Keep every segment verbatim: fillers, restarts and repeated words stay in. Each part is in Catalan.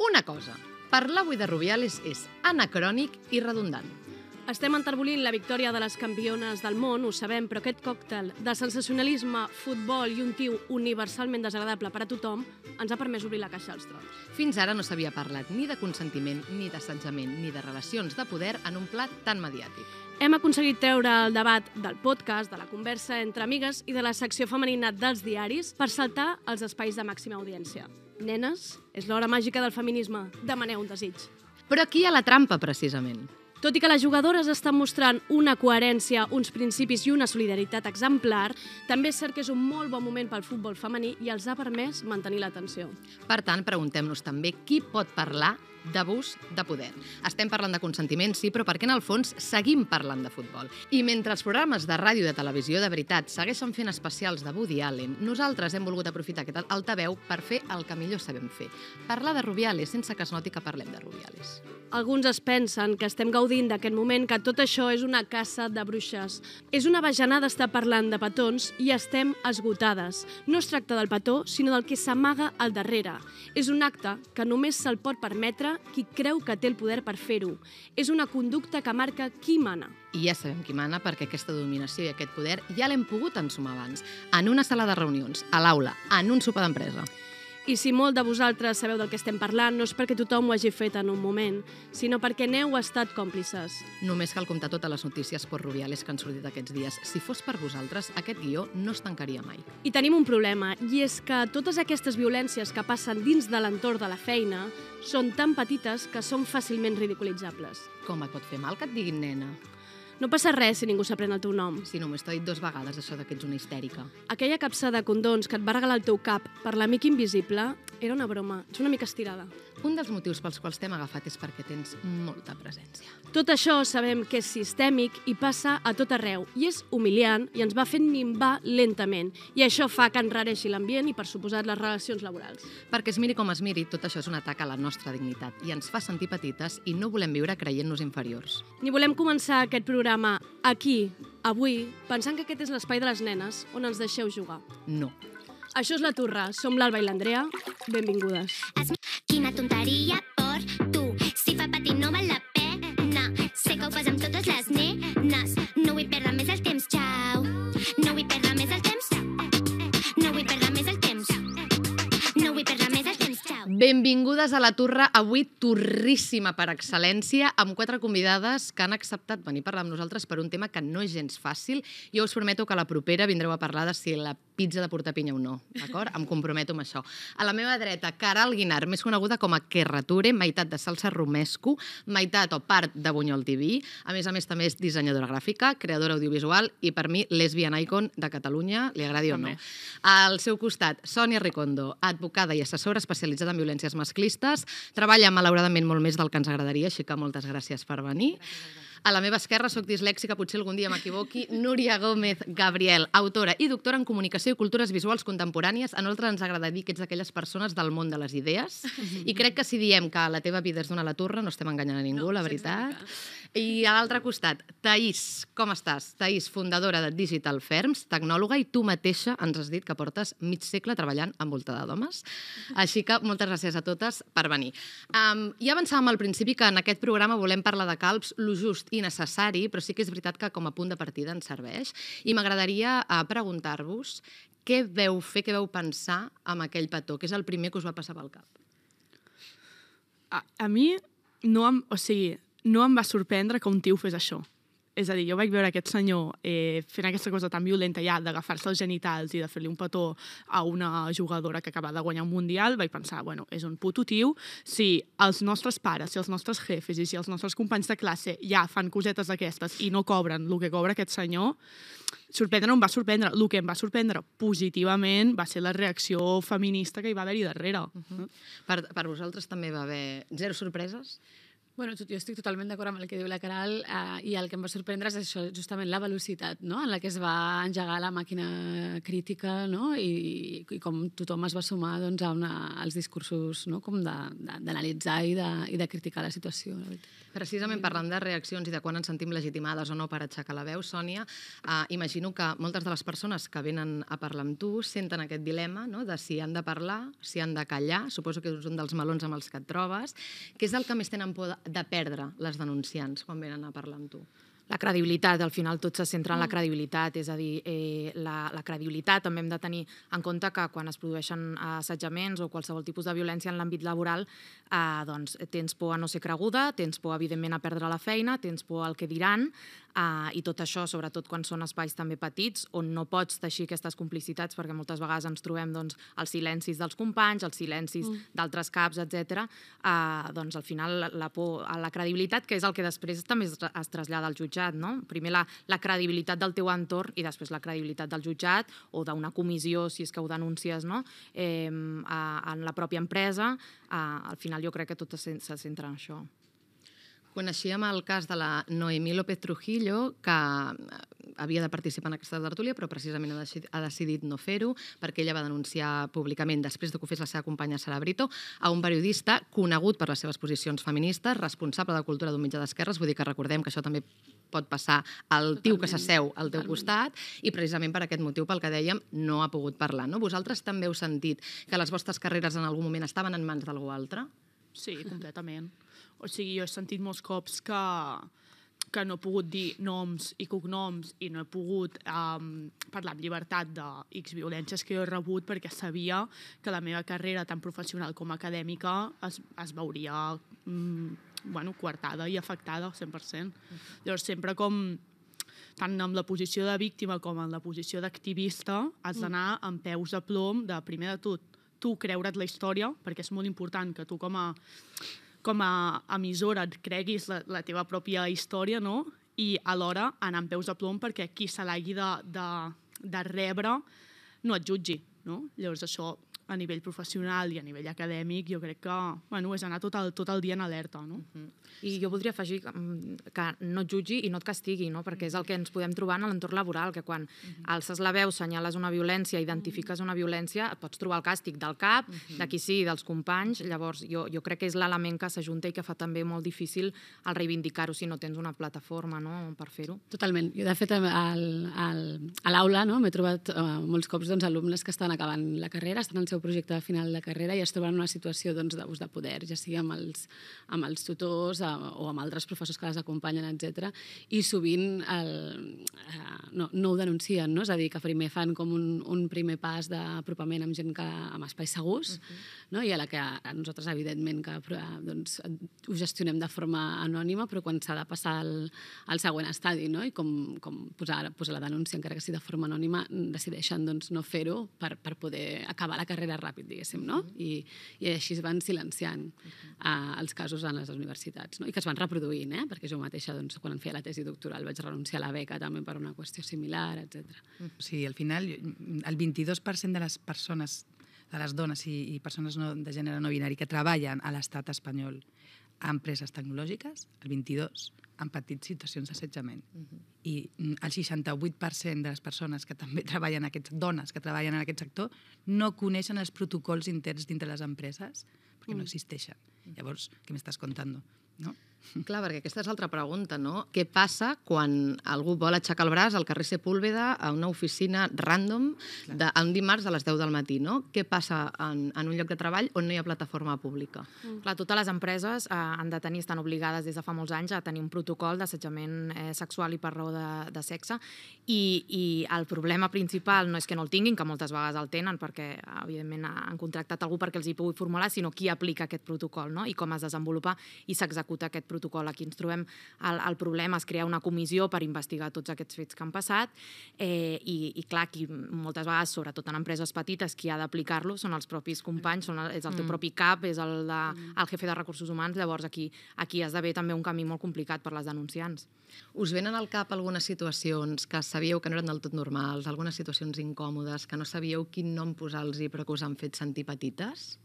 Una cosa, parlar avui de Rubiales és anacrònic i redundant. Estem enterbolint la victòria de les campiones del món, ho sabem, però aquest còctel de sensacionalisme, futbol i un tio universalment desagradable per a tothom ens ha permès obrir la caixa als trons. Fins ara no s'havia parlat ni de consentiment, ni d'assetjament, ni de relacions de poder en un plat tan mediàtic. Hem aconseguit treure el debat del podcast, de la conversa entre amigues i de la secció femenina dels diaris per saltar als espais de màxima audiència. Nenes, és l'hora màgica del feminisme. Demaneu un desig. Però aquí hi ha la trampa, precisament. Tot i que les jugadores estan mostrant una coherència, uns principis i una solidaritat exemplar, també és cert que és un molt bon moment pel futbol femení i els ha permès mantenir l'atenció. Per tant, preguntem-nos també qui pot parlar d'abús de poder. Estem parlant de consentiment, sí, però perquè en el fons seguim parlant de futbol. I mentre els programes de ràdio i de televisió de veritat segueixen fent especials de Woody Allen, nosaltres hem volgut aprofitar aquest altaveu per fer el que millor sabem fer. Parlar de Rubiales sense que es noti que parlem de Rubiales. Alguns es pensen que estem gaudint d'aquest moment, que tot això és una caça de bruixes. És una bajanada estar parlant de petons i estem esgotades. No es tracta del petó, sinó del que s'amaga al darrere. És un acte que només se'l pot permetre qui creu que té el poder per fer-ho. És una conducta que marca qui mana. I ja sabem qui mana perquè aquesta dominació i aquest poder ja l'hem pogut ensumar abans. En una sala de reunions, a l'aula, en un sopar d'empresa. I si molt de vosaltres sabeu del que estem parlant, no és perquè tothom ho hagi fet en un moment, sinó perquè n'heu estat còmplices. Només cal comptar totes les notícies per Rubiales que han sortit aquests dies. Si fos per vosaltres, aquest guió no es tancaria mai. I tenim un problema, i és que totes aquestes violències que passen dins de l'entorn de la feina són tan petites que són fàcilment ridiculitzables. Com et pot fer mal que et diguin nena? No passa res si ningú s'aprèn el teu nom. Si només t'ho dit dues vegades, això que ets una histèrica. Aquella capsa de condons que et va regalar el teu cap per l'amic invisible era una broma, ets una mica estirada. Un dels motius pels quals t'hem agafat és perquè tens molta presència. Tot això sabem que és sistèmic i passa a tot arreu, i és humiliant i ens va fent minvar lentament. I això fa que enrareixi l'ambient i, per suposat, les relacions laborals. Perquè es miri com es miri, tot això és un atac a la nostra dignitat i ens fa sentir petites i no volem viure creient-nos inferiors. Ni volem començar aquest programa aquí, avui, pensant que aquest és l'espai de les nenes on ens deixeu jugar. No. Això és La Turra, som l'Alba i l'Andrea, benvingudes. Quina tonteria por tu, si fa patir no val la pena, sé que ho fas amb totes les nenes, no vull perdre més el temps, xau, no vull perdre més el temps, no vull perdre més el temps, no vull perdre més el temps, xau. Benvingudes a La Turra, avui torríssima per excel·lència, amb quatre convidades que han acceptat venir a parlar amb nosaltres per un tema que no és gens fàcil. Jo us prometo que a la propera vindreu a parlar de si la pizza de portar pinya o no, d'acord? Em comprometo amb això. A la meva dreta, Caral Guinar, més coneguda com a Kerrature, meitat de salsa romesco, meitat o part de Bunyol T V. A més a més, també és dissenyadora gràfica, creadora audiovisual i, per mi, lesbian icon de Catalunya, li agradi o no. Al seu costat, Sònia Ricondo, advocada i assessora especialitzada en violències masclistes, treballa malauradament molt més del que ens agradaria, així que moltes gràcies per venir. A la meva esquerra, soc dislèxica, potser algun dia m'equivoqui, Núria Gómez Gabriel, autora i doctora en comunicació i cultures visuals contemporànies. A nosaltres ens agrada dir que ets d'aquelles persones del món de les idees i crec que si diem que la teva vida és d'una La Turra no estem enganyant a ningú, la veritat. I a l'altre costat, Thaís, com estàs? Thaís, fundadora de Digital Firms, tecnòloga, i tu mateixa ens has dit que portes mig segle treballant envoltada d'homes. Així que moltes gràcies a totes per venir. Um, ja avançàvem al principi que en aquest programa volem parlar de calbs, lo just i necessari, però sí que és veritat que com a punt de partida ens serveix. I m'agradaria uh, preguntar-vos què veu fer, què veu pensar amb aquell petó, que és el primer que us va passar pel cap. A, a mi no em, o sigui, no em va sorprendre que un tio fes això. És a dir, jo vaig veure aquest senyor eh, fent aquesta cosa tan violenta ja d'agafar-se els genitals i de fer-li un petó a una jugadora que acaba de guanyar un mundial, vaig pensar, bueno, és un puto tio. Si els nostres pares, si els nostres jefes i si els nostres companys de classe ja fan cosetes d'aquestes i no cobren el que cobra aquest senyor, sorprendre no em va sorprendre. El que em va sorprendre positivament va ser la reacció feminista que hi va haver-hi darrere. Uh-huh. per, per vosaltres també va haver zero sorpreses? Bueno, jo estic totalment d'acord amb el que diu la Caral eh, i el que em va sorprendre és això, justament la velocitat, no?, en la que es va engegar la màquina crítica, no?, i, i com tothom es va sumar doncs, a una, als discursos, no?, com d'analitzar i, de, i de criticar la situació. La veritat. Precisament parlant de reaccions i de quan ens sentim legitimades o no per aixecar la veu, Sònia, eh, imagino que moltes de les persones que venen a parlar amb tu senten aquest dilema, no?, de si han de parlar, si han de callar, suposo que és un dels melons amb els que et trobes. Què és el que més tenen por de perdre les denunciants quan venen a parlar amb tu? La credibilitat, al final tot se centra en la credibilitat, és a dir, eh, la, la credibilitat també hem de tenir en compte que quan es produeixen assetjaments o qualsevol tipus de violència en l'àmbit laboral, eh, doncs tens por a no ser creguda, tens por evidentment a perdre la feina, tens por al que diran, eh, i tot això, sobretot quan són espais també petits, on no pots teixir aquestes complicitats, perquè moltes vegades ens trobem doncs, els silencis dels companys, els silencis mm. d'altres caps, etcètera. Eh, doncs al final la por a la credibilitat, que és el que després també es, es trasllada al jutjat, no? Primer la, la credibilitat del teu entorn i després la credibilitat del jutjat o d'una comissió, si és que ho denuncies, no? eh, a, en la pròpia empresa. Eh, al final jo crec que tot se, se centra en això. Coneixíem el cas de la Noemí López Trujillo, que havia de participar en aquesta tertúlia, però precisament ha decidit no fer-ho, perquè ella va denunciar públicament, després de que ho fes la seva companya Sara Brito, a un periodista conegut per les seves posicions feministes, responsable de cultura d'un mitjà d'esquerres, vull dir que recordem que això també pot passar al tio que s'asseu al teu costat, i precisament per aquest motiu, pel que dèiem, no ha pogut parlar. No? Vosaltres també heu sentit que les vostres carreres en algun moment estaven en mans d'algú altre? Sí, completament. O sigui, jo he sentit molts cops que, que no he pogut dir noms i cognoms i no he pogut um, parlar amb llibertat de X violències que jo he rebut perquè sabia que la meva carrera, tant professional com acadèmica, es, es veuria um, bueno, coartada i afectada al cent per cent. Llavors, sempre com tant en la posició de víctima com en la posició d'activista, has d'anar amb peus de plom de, primer de tot, tu creure't la història, perquè és molt important que tu com a com a emissora et creguis la, la teva pròpia història, no? I alhora anar amb peus de plom perquè qui se l'hagi de, de, de rebre no et jutgi, no? Llavors això a nivell professional i a nivell acadèmic jo crec que bueno, és anar tot el, tot el dia en alerta. No? Uh-huh. I jo voldria afegir que, que no et jutgi i no et castigui, no? Perquè és el que ens podem trobar en l'entorn laboral, que quan uh-huh. alces la veu, senyales una violència, identifiques una violència, et pots trobar el càstig del cap, uh-huh. de qui sí, dels companys. Llavors jo, jo crec que és l'element que s'ajunta i que fa també molt difícil el reivindicar-ho si no tens una plataforma, no? per fer-ho. Totalment. Jo, de fet, al, al, a l'aula no? m'he trobat uh, molts cops doncs, alumnes que estan acabant la carrera, estan al seu projecte de final de carrera i es troben en una situació doncs, d'abús de poder, ja sigui amb els, amb els tutors a, o amb altres professors que les acompanyen, etcètera. I sovint el, eh, no, no ho denuncien, no? És a dir, que primer fan com un, un primer pas d'apropament amb gent que, amb espais segurs, uh-huh. no? I a la que a nosaltres, evidentment, que doncs, ho gestionem de forma anònima, però quan s'ha de passar al, al següent estadi, no? I com, com posar, posar la denúncia, encara que sigui de forma anònima, decideixen doncs, no fer-ho per, per poder acabar la carrera ràpid, diguéssim, no? I, i així es van silenciant uh, els casos en les universitats, no? I que es van reproduint, eh? Perquè jo mateixa, doncs, quan em feia la tesi doctoral, vaig renunciar a la beca també per una qüestió similar, etcètera. O sigui, al final, el vint-i-dos per cent de les persones, de les dones i, i persones no, de gènere no binari que treballen a l'estat espanyol a empreses tecnològiques, el vint-i-dos han patit situacions d'assetjament. Uh-huh. I el seixanta-vuit per cent de les persones que també treballen, aquests dones que treballen en aquest sector, no coneixen els protocols interns dintre les empreses perquè no existeixen. Llavors, què m'estàs contant? No? Clar, perquè aquesta és l'altra pregunta, no? Què passa quan algú vol aixecar el braç al carrer Sepúlveda a una oficina random de, un dimarts a les deu del matí, no? Què passa en, en un lloc de treball on no hi ha plataforma pública? Mm. Clar, totes les empreses eh, han de tenir, estan obligades des de fa molts anys a tenir un protocol d'assetjament eh, sexual i per raó de, de sexe i, i el problema principal no és que no el tinguin, que moltes vegades el tenen perquè, evidentment, han contractat algú perquè els hi pugui formular, sinó qui aplica aquest protocol, no? I com es desenvolupa i s'executa aquest protocol. Aquí ens trobem el, el problema, es crea una comissió per investigar tots aquests fets que han passat eh, i, i clar, aquí moltes vegades, sobretot en empreses petites, qui ha d'aplicar-lo són els propis companys, són el, és el teu propi cap, és el, de, el jefe de recursos humans, llavors aquí, aquí esdevé també un camí molt complicat per les denunciants. Us venen al cap algunes situacions que sabíeu que no eren del tot normals, algunes situacions incòmodes, que no sabíeu quin nom posar-los però que us han fet sentir petites?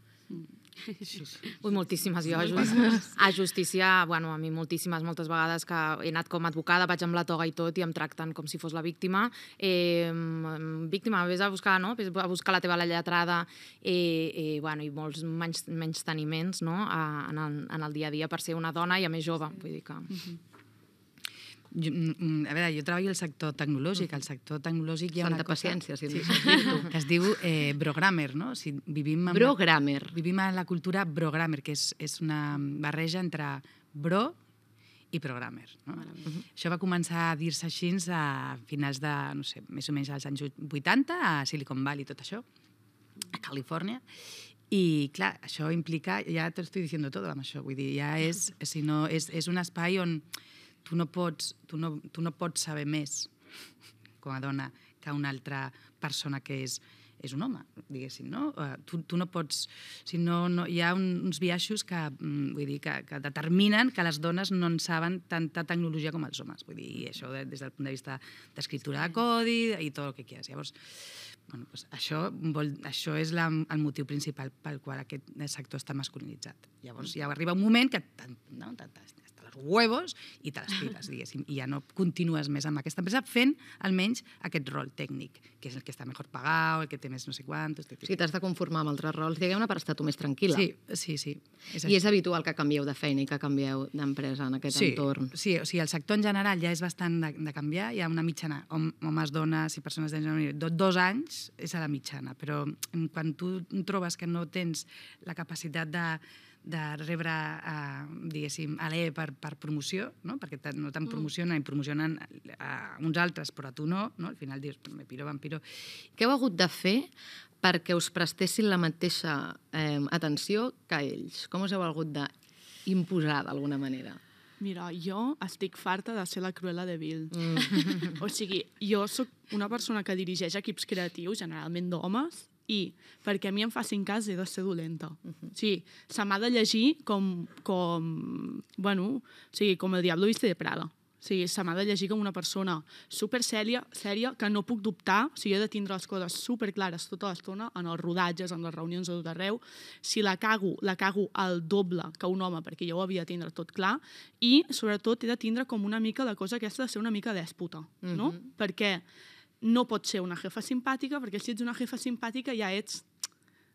Sí, sí. Ui, moltíssimes. Jo a, just, a justícia, bueno, a mi moltíssimes, moltes vegades que he anat com a advocada, vaig amb la toga i tot i em tracten com si fos la víctima. Eh, víctima, vés a buscar, no? Vés a buscar la teva lletrada eh, eh, bueno, i molts menys, menys teniments, no? A, en, el, en el dia a dia per ser una dona i a més jove. Vull dir que... Jo, a veure, jo treballo al sector tecnològic. Al sector tecnològic hi ha Santa una cosa... paciència, si sí, sí. que es diu eh, brogrammer, no? O sigui, vivim amb Brogrammer. La, vivim en la cultura brogrammer, que és, és una barreja entre bro i programmer. No? Uh-huh. Això va començar a dir-se així a finals de, no sé, més o menys als anys vuitanta, a Silicon Valley, tot això, a Califòrnia. I, clar, això implica... Ja t'ho estic dient tot amb això. Vull dir, ja és, si no, és, és un espai on tu no pots, tu no, tu no pots saber més com a dona que una altra persona que és, és un home, diguéssim, no? Tu, tu no pots... O sigui, no, no, hi ha un, uns biaixos que, vull dir, que, que determinen que les dones no en saben tanta tecnologia com els homes. Vull dir, i això de, des del punt de vista d'escriptura de codi i tot el que quieras. Llavors, bueno, pues això, vol, això és la, el motiu principal pel qual aquest sector està masculinitzat. Llavors ja arriba un moment que no, huevos i te les piles, diguéssim, i ja no continues més amb aquesta empresa fent almenys aquest rol tècnic, que és el que està millor pagat, el que té més no sé quantos... O sigui, t'has de conformar amb altres rols, diguem-ne, per estar tu més tranquil·la. Sí, sí, sí. És I és habitual que canvieu de feina i que canvieu d'empresa en aquest sí, entorn. Sí, o sigui, el sector en general ja és bastant de, de canviar, hi ha una mitjana, hom, homes, dones i persones de gènere, do, dos anys és a la mitjana, però quan tu trobes que no tens la capacitat de de rebre, eh, diguéssim, a l'E per, per promoció, no? Perquè no te'n promocionen i promocionen a uns altres, però a tu no, no? Al final dius, me piro, vampiro. Què heu hagut de fer perquè us prestessin la mateixa eh, atenció que ells? Com us heu hagut d'imposar d'alguna manera? Mira, jo estic farta de ser la Cruella de Vil. Mm. O sigui, jo sóc una persona que dirigeix equips creatius, generalment d'homes, i perquè a mi em facin cas he de ser dolenta. Uh-huh. Sí, se m'ha de llegir com, com, bueno, o sigui, com el Diablo viste de Prada. O sigui, se m'ha de llegir com una persona super sèria, sèria, que no puc dubtar, o sigui, he de tindre les coses super clares tota l'estona, en els rodatges, en les reunions de tot arreu. Si la cago, la cago al doble que un home, perquè jo ho havia de tindre tot clar, i sobretot he de tindre com una mica la cosa aquesta de ser una mica dèspota, no? Uh-huh. Perquè no pots ser una jefa simpàtica, perquè si ets una jefa simpàtica ja ets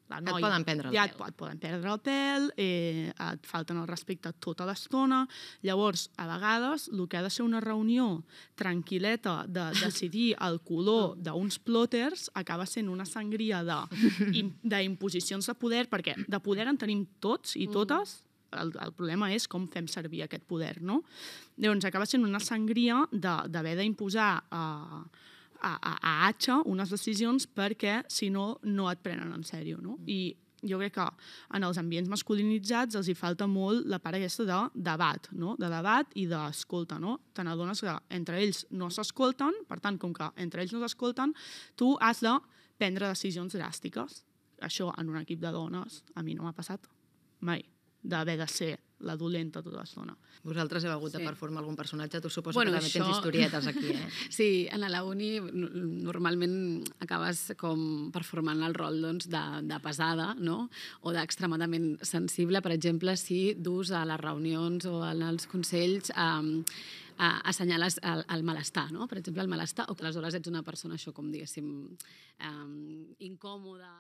la noia. Et poden prendre el ja pèl. Et, et poden prendre el pèl, eh, et falten el respecte tota l'estona. Llavors, a vegades, el que ha de ser una reunió tranquil·leta de decidir el color d'uns plòters acaba sent una sangria d'imposicions de poder, perquè de poder en tenim tots i totes, el, el problema és com fem servir aquest poder, no? Llavors, acaba sent una sangria d'haver d'imposar a... Eh, a, a, a atxa unes decisions perquè, si no, no et prenen en sèrio, no? I jo crec que en els ambients masculinitzats els hi falta molt la part aquesta de debat, no? De debat i d'escolta, no? Te n'adones que entre ells no s'escolten, per tant, com que entre ells no s'escolten, tu has de prendre decisions dràstiques. Això en un equip de dones a mi no m'ha passat mai, d'haver de ser la dolenta tota l'estona. Vosaltres heu hagut de Sí. performar algun personatge, tu suposo Bueno, que també això- tens historietes aquí, eh? Sí, en la uni n- normalment acabes com performant el rol doncs, de, de pesada, no? O d'extremadament sensible. Per exemple, si dus a les reunions o en els consells um, a, assenyales el, el malestar, no? Per exemple, el malestar, o que aleshores ets una persona, això com diguéssim, um, incòmoda.